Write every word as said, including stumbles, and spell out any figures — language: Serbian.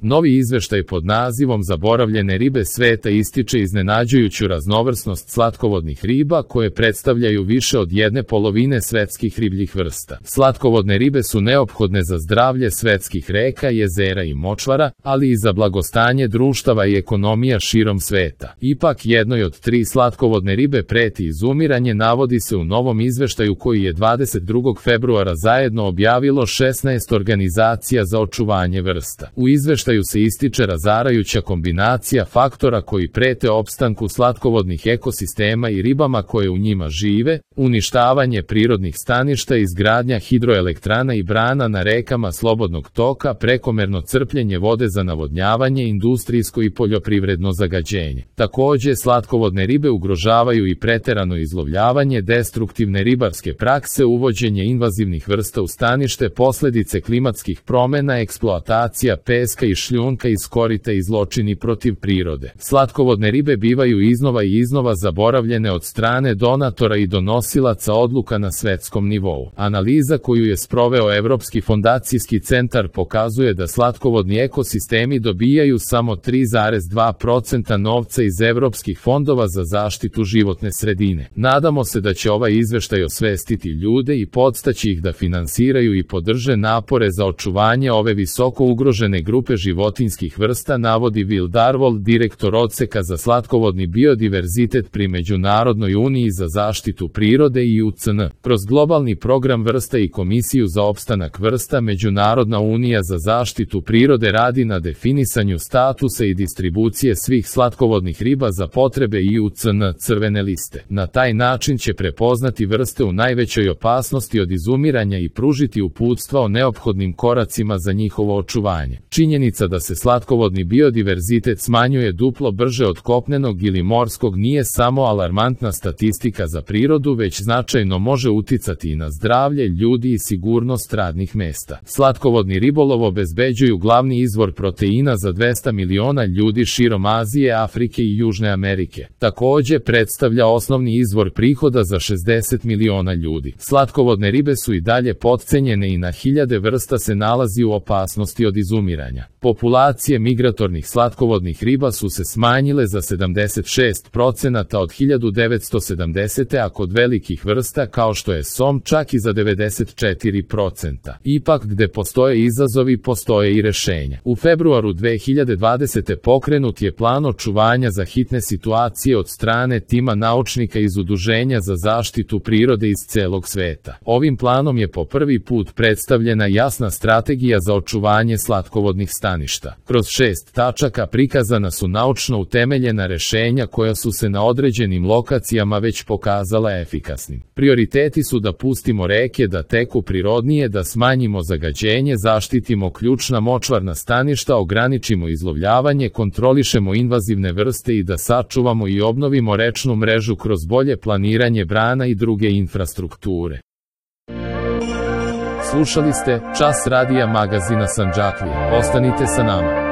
Novi izveštaj pod nazivom Zaboravljene ribe sveta ističe iznenađujuću raznovrsnost slatkovodnih riba koje predstavljaju više od jedne polovine svetskih ribljih vrsta. Slatkovodne ribe su neophodne za zdravlje svetskih reka, jezera i močvara, ali i za blagostanje društava i ekonomija širom sveta. Ipak jednoj od tri slatkovodne ribe preti izumiranje, navodi se u novom izveštaju koji je dvadeset drugog februara zajedno objavilo šesnaest organizacija za očuvanje vrsta. U izveštaju se ističe razarajuća kombinacija faktora koji prete opstanku slatkovodnih ekosistema i ribama koje u njima žive, uništavanje prirodnih staništa, izgradnja hidroelektrana i brana na rekama slobodnog toka, prekomerno crpljenje vode za navodnjavanje, industrijsko i poljoprivredno zagađenje. Takođe, slatkovodne ribe ugrožavaju i preterano izlovljavanje, destruktivne ribarske prakse, uvođenje invazivnih vrsta u stanište, posledice klimatskih promena, eksploatacija peska i šljunka iz korita i zločini protiv prirode. Slatkovodne ribe bivaju iznova i iznova zaboravljene od strane donatora i donosilaca odluka na svetskom nivou. Analiza koju je sproveo Evropski fondacijski centar pokazuje da slatkovodni ekosistemi dobijaju samo tri zarez dva procenta novca iz evropskih fondova za zaštitu životne sredine. Nadamo se da će ovaj izveštaj osvestiti ljude i podstaći ih da finansiraju i podrže napore za očuvanje ove visoko ugrožene grupe životinjskih vrsta, navodi Will Darvold, direktor odseka za slatkovodni biodiverzitet pri Međunarodnoj uniji za zaštitu prirode i U C N. Kroz globalni program vrsta i Komisiju za opstanak vrsta, Međunarodna unija za zaštitu prirode radi na definisanju statusa i distribucije svih slatkovodnih riba za potrebe I U C N crvene liste. Na taj način će prepoznati vrste u najvećoj opasnosti od izumiranja i pružiti uputstva o neophodnim koracima za njihovo očuvanje. Činjenica da se slatkovodni biodiverzitet smanjuje duplo brže od kopnenog ili morskog nije samo alarmantna statistika za prirodu, već značajno može uticati i na zdravlje ljudi i sigurnost radnih mesta. Slatkovodni ribolov obezbeđuju glavni izvor proteina za dvesta miliona ljudi širom Azije, Afrike i Južne Amerike. Takođe predstavlja osnovni izvor prihoda za šezdeset miliona ljudi. Slatkovodne ribe su i dalje potcenjene i na hiljade vrsta se nalazi u opasnosti od izumiranja. Populacije migratornih slatkovodnih riba su se smanjile za sedamdeset šest procenata od hiljadu devetsto sedamdesete. a kod velikih vrsta kao što je som čak i za devedeset četiri procenta. Ipak gde postoje izazovi, postoje i rešenja. U februaru dve hiljade dvadesete. pokrenut je plan očuvanja za hitne situacije od strane tima naučnika iz Udruženja za zaštitu prirode iz celog sveta. Ovim planom je po prvi put predstavljena jasna strategija za očuvanje slatkovodnih staništa. Kroz šest tačaka prikazana su naučno utemeljena rešenja koja su se na određenim lokacijama već pokazala efikasnim. Prioriteti su da pustimo reke da teku prirodnije, da smanjimo zagađenje, zaštitimo ključna močvarna staništa, ograničimo izlovljavanje, kontrolišemo invazivne vrste i da sačuvamo i obnovimo rečnu mrežu kroz bolje planiranje brana i druge infrastrukture. Slušali ste Čas radija magazina Sandžaklija. Ostanite sa nama.